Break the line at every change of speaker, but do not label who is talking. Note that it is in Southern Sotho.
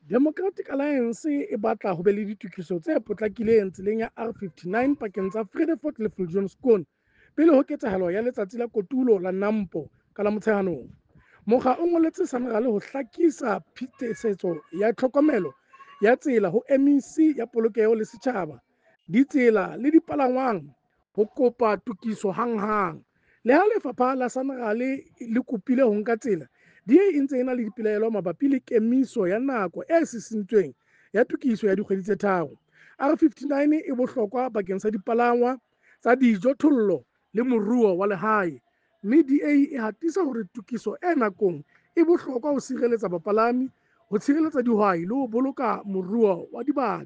Democratic Alliance e batla ho be le ditokiso tse potlakileng tseleng ya R59 pakeng tsa Vredefort le Viljoenskoon pele ho ketsahalo ya Letsatsi la Kotulo la NAMPO ka la Motsheanong. Mokga o ngoletse SANRAL ho hlakisa phetisetso ya tlhokomelo ya tsela ho MEC ya Polokeho le Setjhaba, Ditsela le Dipalangwang ho kopa tokiso hanghang. Le ha lefapha la SANRAL le kopile ho nka tsela, DA e ntse e na le dipelaelo mabapi le kemiso ya nako e sisintsweng ya tokiso ya dikgwedi tse tharo. R59 e bohlokwa bakeng sa dipalangwa tsa dijothollo le moruo wa lehae, mme DA e hatisa hore tokiso e nakong e bohlokwa ho sireletsa bapalami, ho tshireletsa dihwai le ho boloka moruo wa dibaka.